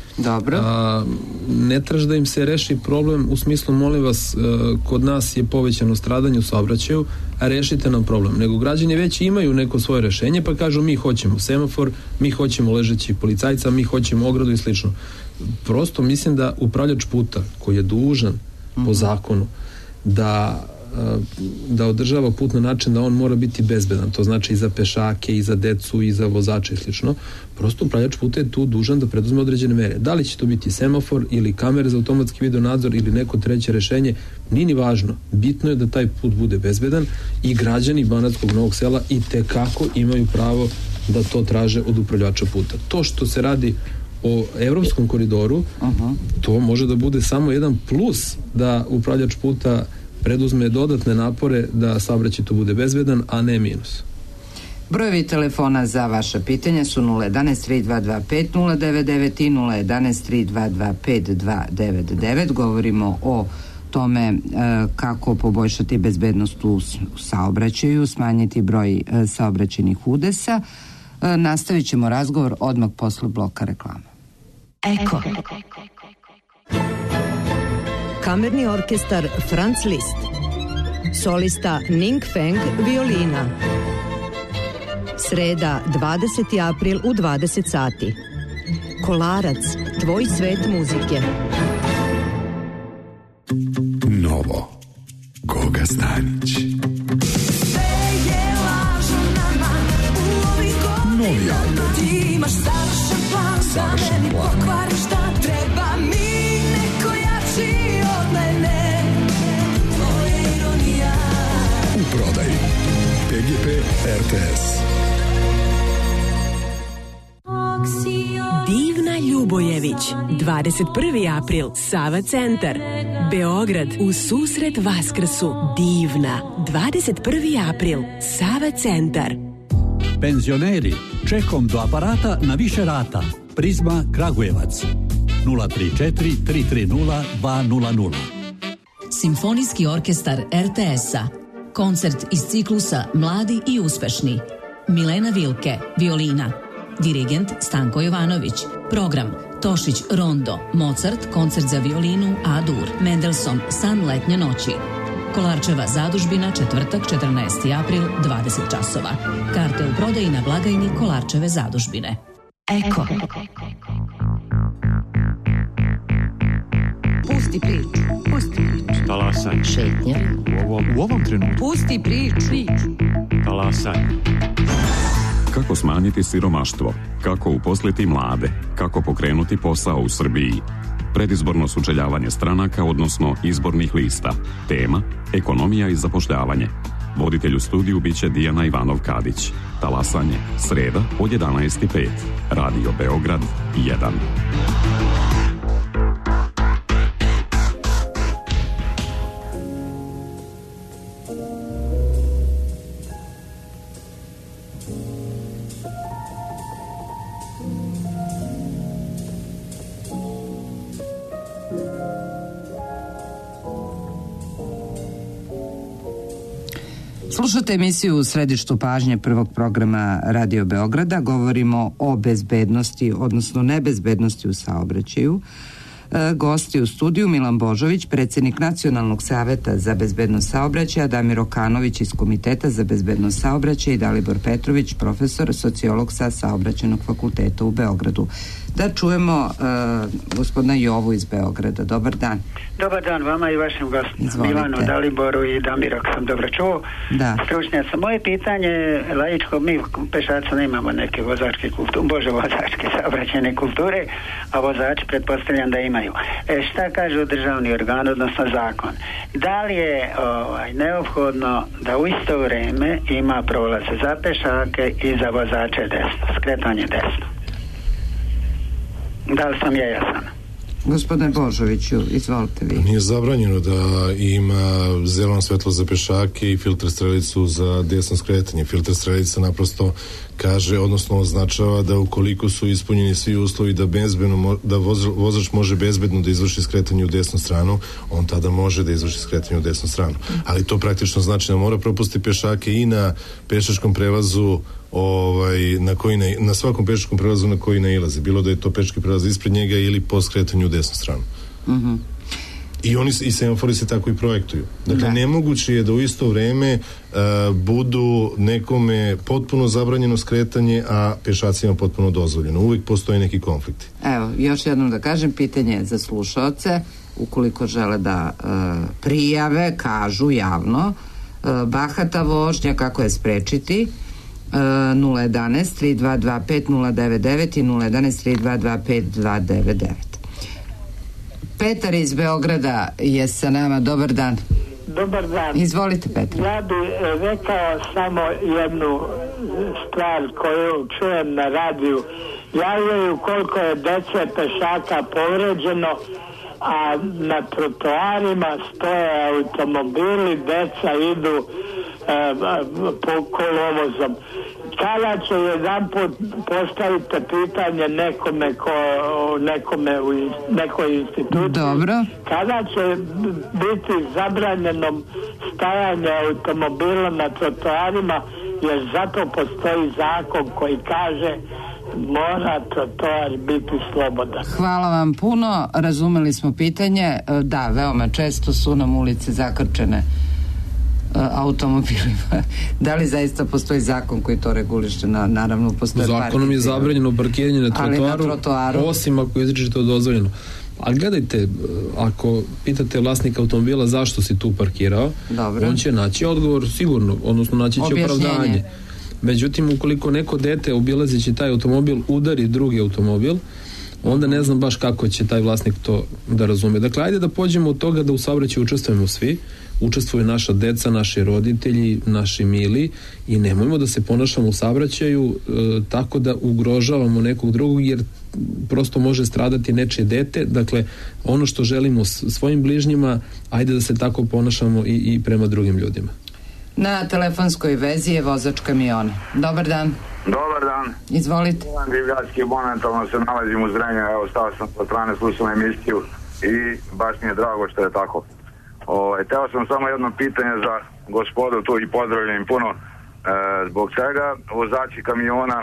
ne traže da im se reši problem u smislu, molim vas, kod nas je povećano stradanje u saobraćaju, a rešite nam problem. Nego građani već imaju neko svoje rešenje, pa kažu mi hoćemo semafor, mi hoćemo ležeći policajca, mi hoćemo ogradu i slično. Prosto mislim da upravljač puta koji je dužan po zakonu da održava put na način da on mora biti bezbedan, to znači i za pešake, i za decu, i za vozače i slično. Prosto upravljač puta je tu dužan da preduzme određene mere. Da li će to biti semafor ili kamere za automatski video nadzor ili neko treće rešenje, nije ni važno. Bitno je da taj put bude bezbedan i građani Banatskog Novog Sela i tekako imaju pravo da to traže od upravljača puta. To što se radi o evropskom koridoru, to može da bude samo jedan plus da upravljač puta preduzme dodatne napore da saobraćaj tu bude bezbedan, a ne minus. Brojevi telefona za vaša pitanja su 011-3225-099 i 011-3225-299. Govorimo o tome kako poboljšati bezbednost u saobraćaju, smanjiti broj saobraćajnih udesa. Nastavit ćemo razgovor odmah posle bloka reklama. Eko. Kamerni orkestar Franz Liszt. Solista Ning Feng, violina. Sreda, 20. april u 20 sati. Kolarac, tvoj svet muzike. Novo. Goga Stanić. Novi album. Savršen plan. U prodaji PGP RTS. Divna Ljubojević, 21. april, Sava centar, Beograd, u susret Vaskrsu. Divna, 21. april, Sava centar. Penzioneri, čekom do aparata na više rata. Prizma Kragujevac, 034 330 200. Simfonijski orkestar RTS-a. Koncert iz ciklusa Mladi i uspešni. Milena Vilke, violina. Dirigent Stanko Jovanović. Program Tošić Rondo, Mozart, koncert za violinu A-dur, Mendelssohn, San letnje noći. Kolarčeva zadužbina, četvrtak, 14. april, 20 časova. Karte u prodaji na blagajni Kolarčeve zadužbine. Eko. Pusti priču. Pusti priču. Talasaj. Šetnja. U ovom trenutku. Pusti priču. Talasaj. Kako smanjiti siromaštvo? Kako uposliti mlade? Kako pokrenuti posao u Srbiji? Predizborno sučeljavanje stranaka, odnosno izbornih lista. Tema: ekonomija i zapošljavanje. Voditelj u studiju biće Dijana Ivanov-Kadić. Talasanje, sreda od 11:05. Radio Beograd 1. Slušate emisiju U središtu pažnje prvog programa Radio Beograda. Govorimo o bezbednosti, odnosno nebezbednosti u saobraćaju. Gosti u studiju Milan Božović, predsjednik Nacionalnog saveta za bezbednost saobraćaja, Damir Okanović iz Komiteta za bezbednost saobraćaja i Dalibor Petrović, profesor, sociolog sa Saobraćajnog fakulteta u Beogradu. Da čujemo gospodina Jovu iz Beograda. Dobar dan. Dobar dan vama i vašim gostima, Milanu, Daliboru i Damiru, ako sam dobro čuo. Da. Stručnjaca. Moje pitanje je laičko, mi pešaca nemamo neke vozačke kulture, vozačke saobraćajne kulture, a vozači pretpostavljam da imaju. Šta kaže državni organ, odnosno zakon? Da li je neophodno da u isto vrijeme ima prolaze za pešake i za vozače desno, skretanje desno? Da li sam ja jasan? Gospodine Božoviću, izvolite vi. Nije zabranjeno da ima zeleno svetlo za pešake i filter strelicu za desno skretanje. Filter strelica naprosto kaže, odnosno označava da ukoliko su ispunjeni svi uslovi da vozač može bezbedno da izvrši skretanje u desnu stranu, on tada može da izvrši skretanje u desnu stranu. Ali to praktično znači da mora propustiti pešake i na pešačkom prelazu na svakom pešačkom prelazu na koji nailazi, bilo da je to pešački prelaz ispred njega ili po skretanju u desnu stranu. I semafori se tako i projektuju. Dakle, nemoguće je da u isto vreme budu nekome potpuno zabranjeno skretanje, a pešacima potpuno dozvoljeno. Uvijek postoje neki konflikti. Evo, još jednom da kažem, pitanje za slušaoce, ukoliko žele da prijave, kažu javno, bahata vožnja, kako je sprečiti, 011 3225 099 i 011 3225 299. Petar iz Beograda je sa nama. Dobar dan. Dobar dan. Izvolite, Petar. Ja bih rekao samo jednu stvar koju čujem na radiju. Javljaju koliko je dece pešaka povređeno, a na trotoarima stoje automobili, deca idu po kolovozom. Kada će jedan put postavite pitanje nekome u nekoj instituciji, dobro, kada će biti zabranjeno stajanje automobila na trotoarima, jer zato postoji zakon koji kaže mora trotoar biti slobodan. Hvala vam puno, razumeli smo pitanje. Da, veoma često su nam ulice zakrčene automobilima. Da li zaista postoji zakon koji to reguliše? Naravno, postoje zakonom je zabranjeno parkiranje na trotoaru, osim ako je izričito dozvoljeno. Ali gledajte, ako pitate vlasnika automobila zašto si tu parkirao, dobro, on će naći odgovor sigurno, odnosno naći će opravdanje. Međutim, ukoliko neko dete obilazeći taj automobil udari drugi automobil, onda ne znam baš kako će taj vlasnik to da razume. Dakle, ajde da pođemo od toga da u saobraćaju učestvujemo svi, učestvuju naša deca, naši roditelji, naši mili, i nemojmo da se ponašamo u saobraćaju tako da ugrožavamo nekog drugog, jer prosto može stradati nečije dete. Dakle, ono što želimo svojim bližnjima, ajde da se tako ponašamo i prema drugim ljudima. Na telefonskoj vezi je vozač kamiona. Dobar dan. Dobar dan. Izvolite. Divljački, momentalno se nalazim u Zrenju, evo stao sam po strane, slušam emisiju i baš mi je drago što je tako. Teo sam samo jedno pitanje za gospodu tu i pozdravljam puno. Zbog čega vozači kamiona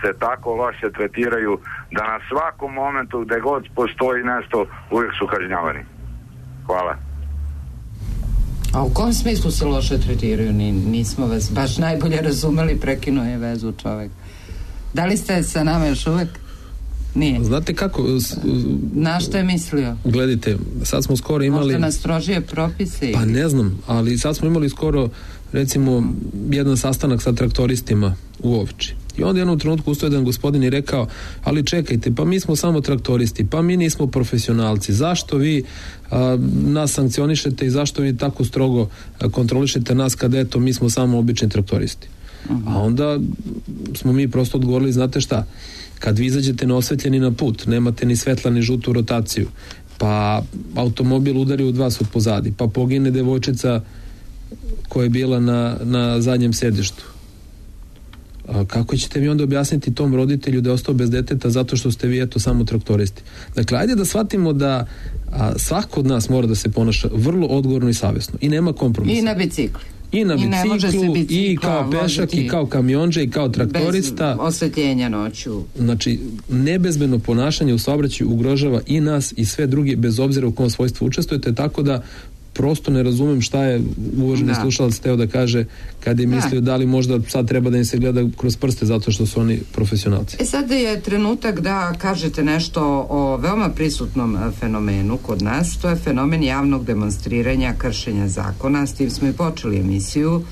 se tako loše tretiraju da na svakom momentu gde god postoji nešto uvijek su kažnjavani? Hvala. A u kom smislu se loše tretiraju? Nismo vas baš najbolje razumeli, prekinuo je vezu čovek. Da li ste sa nama još uvek? Nije. Znate kako? Na što je mislio? Gledajte, sad smo skoro imali... Možda nas strožije propise? Pa ne znam, ali sad smo imali skoro, recimo, jedan sastanak sa traktoristima u Ovči. I onda jednom trenutku ustao jedan gospodin i rekao, ali čekajte, pa mi smo samo traktoristi, pa mi nismo profesionalci, zašto vi nas sankcionišete i zašto vi tako strogo kontrolišete nas kada eto mi smo samo obični traktoristi? A onda smo mi prosto odgovorili, znate šta, kad vi izađete neosvetljeni na put, nemate ni svetla ni žutu rotaciju, pa automobil udari od vas od pozadi, pa pogine devojčica koja je bila na zadnjem sedištu. Kako ćete vi onda objasniti tom roditelju da je ostao bez deteta zato što ste vi eto samo traktoristi? Dakle, ajde da shvatimo da svako od nas mora da se ponaša vrlo odgovorno i savjesno i nema kompromisa. I na biciklu. I na biciklu, i kao pešak, i kao kamionđe, i kao traktorista. Bez osvetljenja noću. Znači, nebezbedno ponašanje u saobraćaju ugrožava i nas i sve drugi, bez obzira u kom svojstvu učestvujete, tako da prosto ne razumem šta je uvaženi slušalac teo da kaže kad je mislio da li možda sad treba da im se gleda kroz prste zato što su oni profesionalci. Sad je trenutak da kažete nešto o veoma prisutnom fenomenu kod nas, to je fenomen javnog demonstriranja, kršenja zakona, s tim smo i počeli emisiju,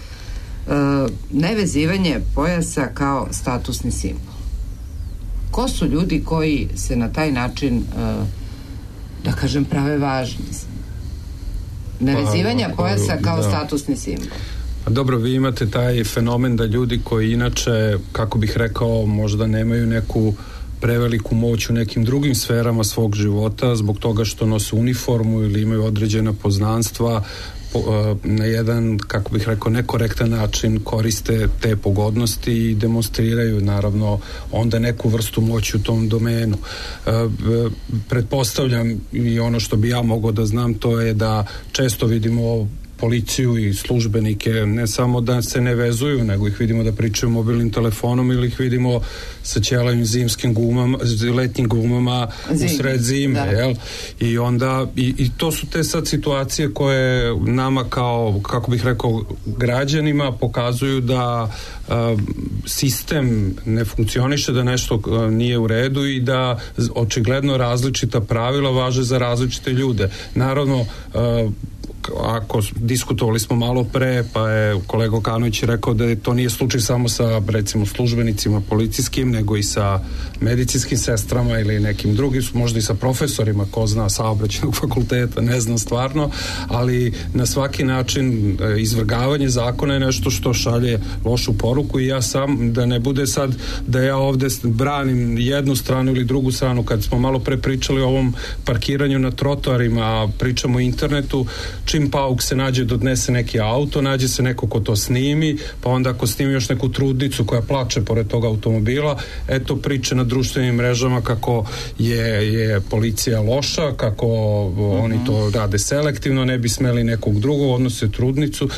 nevezivanje pojasa kao statusni simbol. Ko su ljudi koji se na taj način, da kažem, prave važni? Nevezivanja pojasa kao statusni simbol. Dobro, vi imate taj fenomen da ljudi koji inače, kako bih rekao, možda nemaju neku preveliku moć u nekim drugim sferama svog života zbog toga što nose uniformu ili imaju određena poznanstva, na jedan, kako bih rekao, nekorektan način koriste te pogodnosti i demonstriraju naravno onda neku vrstu moći u tom domenu. Pretpostavljam i ono što bi ja mogao da znam, to je da često vidimo policiju i službenike, ne samo da se ne vezuju, nego ih vidimo da pričaju mobilnim telefonom ili ih vidimo sa ćelavim zimskim gumama, letnjim gumama u sred zime, jel? I onda, i to su te sad situacije koje nama kao, kako bih rekao, građanima pokazuju da sistem ne funkcioniše, da nešto nije u redu i da očigledno različita pravila važe za različite ljude. Naravno, ako diskutovali smo malo pre, pa je kolega Okanović rekao da to nije slučaj samo sa, recimo, službenicima policijskim, nego i sa medicinskim sestrama ili nekim drugim, možda i sa profesorima, ko zna, saobraćajnog fakulteta, ne znam stvarno, ali na svaki način izvrgavanje zakona je nešto što šalje lošu poruku i ja sam, da ne bude sad da ja ovde branim jednu stranu ili drugu stranu, kad smo malo pre pričali o ovom parkiranju na trotoarima, a pričamo o internetu, čim pauk se nađe da odnese neki auto, nađe se neko ko to snimi, pa onda ako snimi još neku trudnicu koja plače pored toga automobila, eto priče na društvenim mrežama kako je policija loša, kako oni to rade selektivno, ne bi smeli nekog drugog, odnose trudnicu,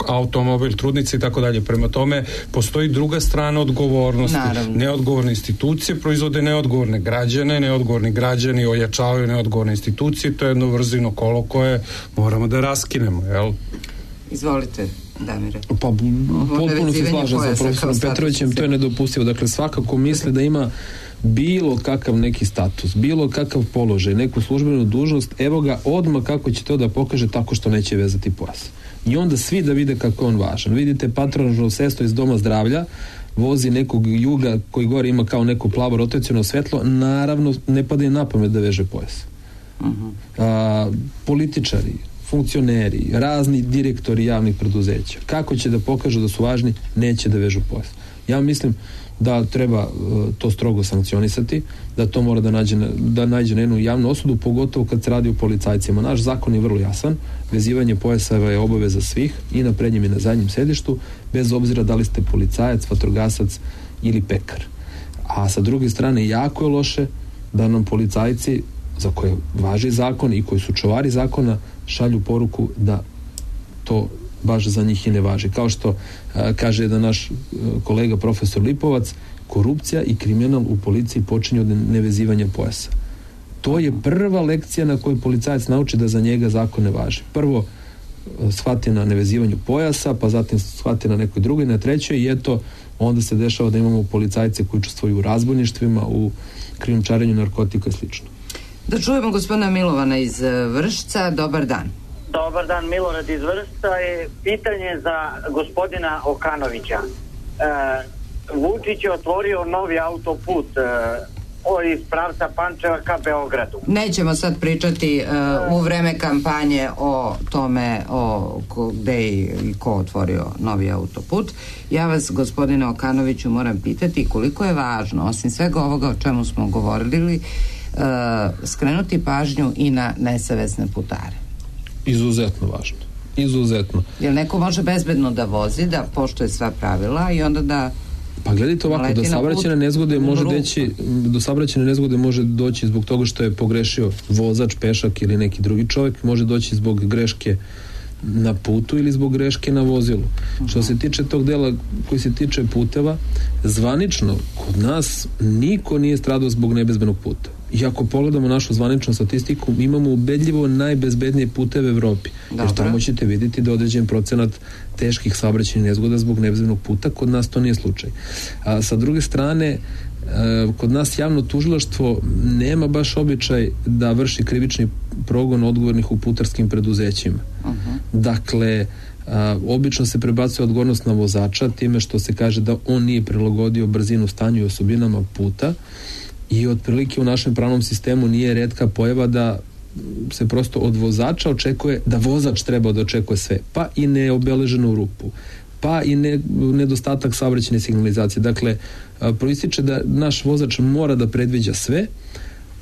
automobil, trudnice i tako dalje. Prema tome, postoji druga strana odgovornosti. Naravno. Neodgovorne institucije proizvode neodgovorne građane, neodgovorni građani ojačavaju neodgovorne institucije, to je jedno vrzino kolo koje moramo da raskinemo, jel? Izvolite, Damire. Pa potpuno se slažem sa profesorom Petrovićem, to je nedopustivo. Dakle, svakako misli da ima bilo kakav neki status, bilo kakav položaj, neku službenu dužnost, evo ga odmah kako će to da pokaže tako što neće vezati pojas. I onda svi da vide kako je on važan. Vidite patronažno sestro iz doma zdravlja, vozi nekog juga koji gore ima kao neko plavo rotaciono svetlo, naravno ne pada im na pamet da veže pojas. Političari, funkcioneri, razni direktori javnih preduzeća, kako će da pokažu da su važni, neće da vežu pojas. Ja mislim da treba to strogo sankcionisati, da to mora da nađe na jednu javnu osudu, pogotovo kad se radi o policajcima. Naš zakon je vrlo jasan, vezivanje pojaseva je obaveza svih i na prednjem i na zadnjem sedištu, bez obzira da li ste policajac, vatrogasac ili pekar. A sa druge strane, jako je loše da nam policajci, za koje važi zakon i koji su čuvari zakona, šalju poruku da to baš za njih i ne važi. Kao što kaže jedan naš kolega profesor Lipovac, korupcija i kriminal u policiji počinje od nevezivanja pojasa. To je prva lekcija na kojoj policajac nauči da za njega zakon ne važi. Prvo shvati na nevezivanju pojasa, pa zatim shvati na nekoj drugoj, na trećoj i eto, onda se dešava da imamo policajce koji učestvuju u razbojništvima, u krijumčarenju narkotika i slično. Da čujemo gospodina Milovana iz Vršca. Dobar dan. Dobar dan, Milorad iz Vršca. Je pitanje za gospodina Okanovića. Vučić je otvorio novi autoput iz pravca Pančeva ka Beogradu. Nećemo sad pričati u vreme kampanje o tome gde i ko otvorio novi autoput. Ja vas, gospodine Okanoviću, moram pitati koliko je važno, osim svega ovoga o čemu smo govorili, skrenuti pažnju i na nesavesne putare. Izuzetno važno. Izuzetno. Jer neko može bezbedno da vozi, da poštuje sva pravila i onda da... Pa gledajte ovako, do saobraćajne nezgode može doći zbog toga što je pogrešio vozač, pešak ili neki drugi čovjek, može doći zbog greške na putu ili zbog greške na vozilu. Što se tiče tog dela koji se tiče puteva, zvanično kod nas niko nije stradao zbog nebezbednog puta. I ako pogledamo našu zvaničnu statistiku, imamo ubedljivo najbezbednije puteve u Evropi. Jer tamo ćete vidjeti da određen procenat teških saobraćajnih nezgoda zbog nebezbednog puta, kod nas to nije slučaj. A sa druge strane, kod nas javno tužilaštvo nema baš običaj da vrši krivični progon odgovornih u putarskim preduzećima. Dakle, obično se prebacuje odgovornost na vozača time što se kaže da on nije prilagodio brzinu, stanju i osobinama puta i otprilike u našem pravnom sistemu nije retka pojava da se prosto od vozača očekuje da vozač treba da očekuje sve, pa i neobeleženu rupu, pa i nedostatak saobraćajne signalizacije. Dakle, proističe da naš vozač mora da predviđa sve,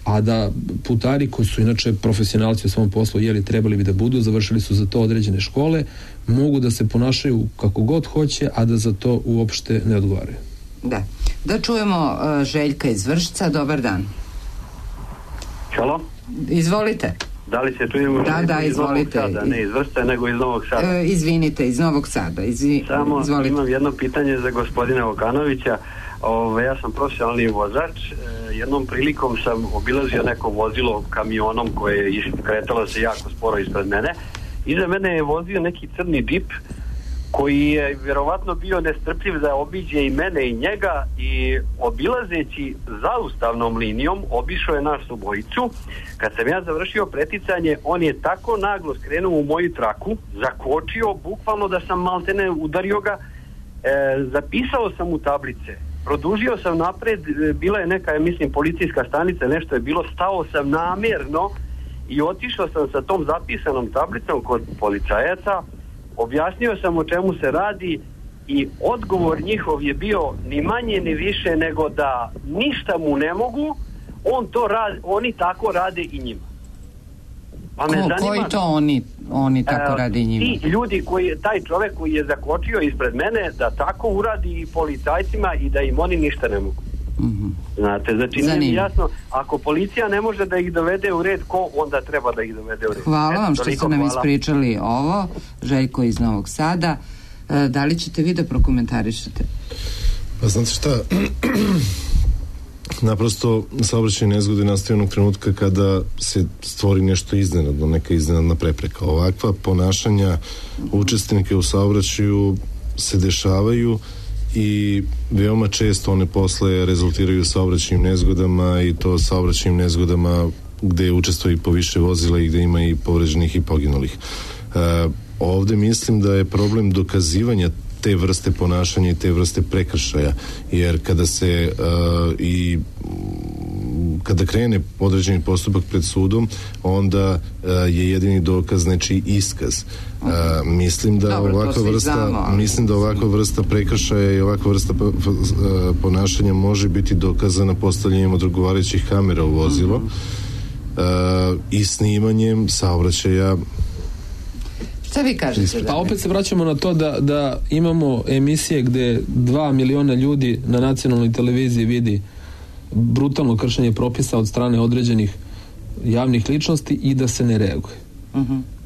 a da putari koji su inače profesionalci u svom poslu, trebali bi da budu, završili su za to određene škole, mogu da se ponašaju kako god hoće, a da za to uopšte ne odgovaraju. Da čujemo Željka iz Vršca. Dobar dan. Halo? Izvolite. Da li se čujemo? Da, izvolite. Sada, ne iz Vršca, nego iz Novog Sada. Izvinite, iz Novog Sada. Samo izvolite. Imam jedno pitanje za gospodina Okanovića. Ja sam profesionalni vozač. Jednom prilikom sam obilazio neko vozilo kamionom koje je kretalo se jako sporo ispred mene. Iza mene je vozio neki crni džip koji je vjerovatno bio nestrpljiv da obiđe i mene i njega i obilazeći zaustavnom linijom obišao je nas obojicu. Kad sam ja završio preticanje, on je tako naglo skrenuo u moju traku, zakočio, bukvalno da sam maltene udario ga, zapisao sam u tablice, produžio sam napred, bila je neka, mislim, policijska stanica, nešto je bilo, stao sam namjerno i otišao sam sa tom zapisanom tablicom kod policajaca, objasnio sam o čemu se radi i odgovor njihov je bio ni manje ni više nego da ništa mu ne mogu, oni tako rade i njima. Pa me zanima, koji to oni tako rade i njima? Ti ljudi, taj čovjek koji je zakočio ispred mene, da tako uradi i policajcima i da im oni ništa ne mogu. Znate, znači nije mi jasno, ako policija ne može da ih dovede u red, ko onda treba da ih dovede u red? Hvala vam što ste nam ispričali ovo. Željko iz Novog Sada. Da li ćete vi da prokomentarišete? Pa znate šta, naprosto saobraćajne nezgode nastaju onog trenutka kada se stvori nešto iznenadno, neka iznenadna prepreka. Ovakva ponašanja učesnika u saobraćaju se dešavaju i veoma često one posle rezultiraju saobraćajnim nezgodama, i to saobraćajnim nezgodama gde učestvuje i po više vozila i gde ima i povređenih i poginulih. Ovde mislim da je problem dokazivanja te vrste ponašanja i te vrste prekršaja, jer kada se kada krene određeni postupak pred sudom, onda je jedini dokaz znači iskaz. Mislim da ovakva vrsta prekršaja i ovakva vrsta ponašanja može biti dokazana postavljanjem odgovarajućih kamera u vozilo i snimanjem saobraćaja. Šta vi kažete? Pa opet se vraćamo na to da imamo emisije gde 2 miliona ljudi na nacionalnoj televiziji vidi brutalno kršenje propisa od strane određenih javnih ličnosti i da se ne reaguje.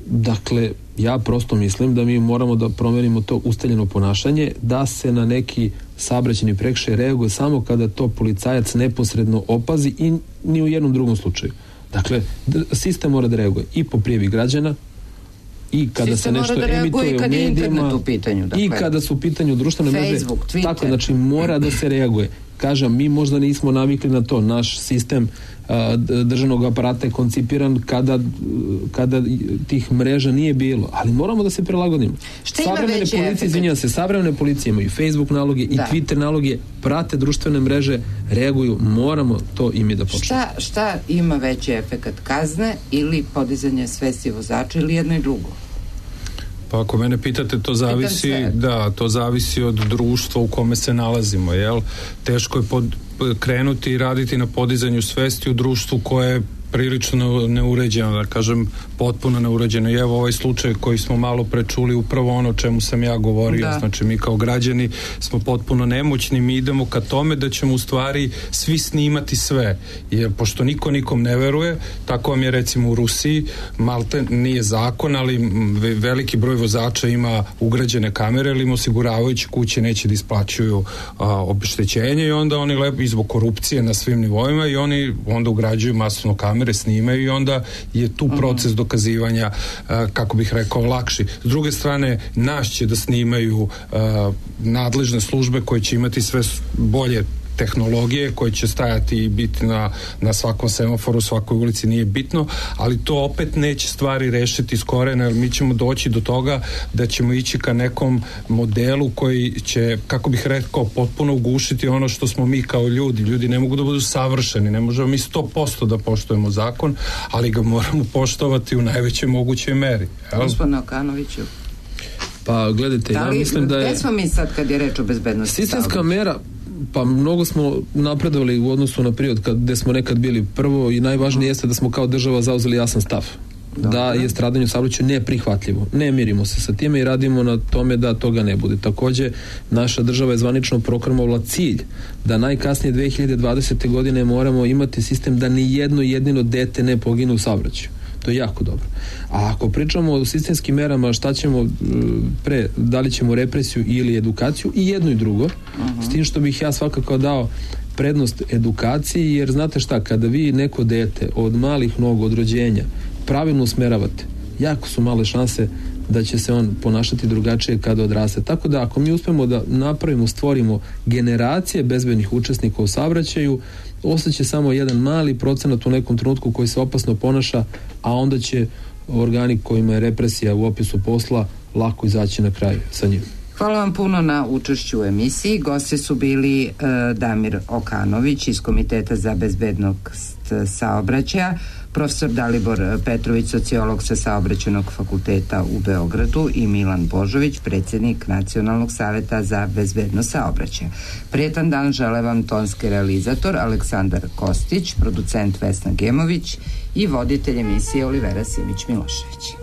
Dakle, ja prosto mislim da mi moramo da promenimo to ustaljeno ponašanje, da se na neki saobraćajni prekršaj reaguje samo kada to policajac neposredno opazi i ni u jednom drugom slučaju. Dakle, sistem mora da reaguje i po prijavi građana, i kada se nešto emituje u medijima, i kada su u pitanju društvene mreže, tako, znači mora da se reaguje. Kažem, mi možda nismo navikli na to, naš sistem državnog aparata je koncipiran kada tih mreža nije bilo, ali moramo da se prilagodimo. Savremene policije imaju Facebook naloge i Twitter naloge, prate društvene mreže, reaguju, moramo to i mi da počnemo. Šta ima veći efekat, kazne ili podizanje svesti vozača ili jedno i drugo? Pa ako mene pitate, to zavisi od društva u kome se nalazimo, jel? Teško je krenuti i raditi na podizanju svesti u društvu koje je prilično neuređeno, da kažem potpuno neuređeno. I evo ovaj slučaj koji smo malo prečuli, upravo ono o čemu sam ja govorio, znači mi kao građani smo potpuno nemoćni, mi idemo ka tome da ćemo u stvari svi snimati sve, jer pošto niko nikom ne veruje, tako vam je recimo u Rusiji, malte nije zakon, ali veliki broj vozača ima ugrađene kamere, ili im osiguravajuće kuće neće da isplaćuju obeštećenje, i onda oni i zbog korupcije na svim nivoima, i oni onda ugrađuju masovno kamere, snimaju, i onda je tu proces dokazivanja, kako bih rekao, lakši. S druge strane, nas će da snimaju nadležne službe koje će imati sve bolje tehnologije, koje će stajati i biti na svakom semaforu, svakoj ulici, nije bitno, ali to opet neće stvari rešiti iz korena, jer mi ćemo doći do toga da ćemo ići ka nekom modelu koji će, kako bih rekao, potpuno ugušiti ono što smo mi kao ljudi. Ljudi ne mogu da budu savršeni, ne možemo mi 100% da poštujemo zakon, ali ga moramo poštovati u najvećoj mogućoj meri. Gospodine Okanoviću. Pa gledajte, ja mislim da je... Gde smo mi sad kad je reč o bezbednosti? Sistemska mera, pa mnogo smo napredovali u odnosu na period gde smo nekad bili. Prvo i najvažnije jeste da smo kao država zauzeli jasan stav. Da je stradanje u saobraćaju neprihvatljivo. Ne mirimo se sa time i radimo na tome da toga ne bude. Takođe, naša država je zvanično proklamovala cilj da najkasnije 2020. godine moramo imati sistem da ni jedno jedino dete ne pogine u saobraćaju. To je jako dobro. A ako pričamo o sistemskim merama, šta ćemo da li ćemo represiju ili edukaciju, i jedno i drugo, s tim što bih ja svakako dao prednost edukaciji, jer znate šta, kada vi neko dete od malih nogu, od rođenja, pravilno usmeravate, jako su male šanse da će se on ponašati drugačije kada odraste. Tako da ako mi uspemo da napravimo, stvorimo generacije bezbednih učesnika u saobraćaju, ostaće samo jedan mali procenat u nekom trenutku koji se opasno ponaša, a onda će organi kojima je represija u opisu posla lako izaći na kraj sa njim. Hvala vam puno na učešću u emisiji. Gosti su bili Damir Okanović iz Komiteta za bezbednost saobraćaja, profesor Dalibor Petrović, sociolog sa Saobraćajnog fakulteta u Beogradu, i Milan Božović, predsjednik Nacionalnog saveta za bezbednost saobraćaja. Prijetan dan žele vam tonski realizator Aleksandar Kostić, producent Vesna Gemović i voditelj emisije Olivera Simić-Milošević.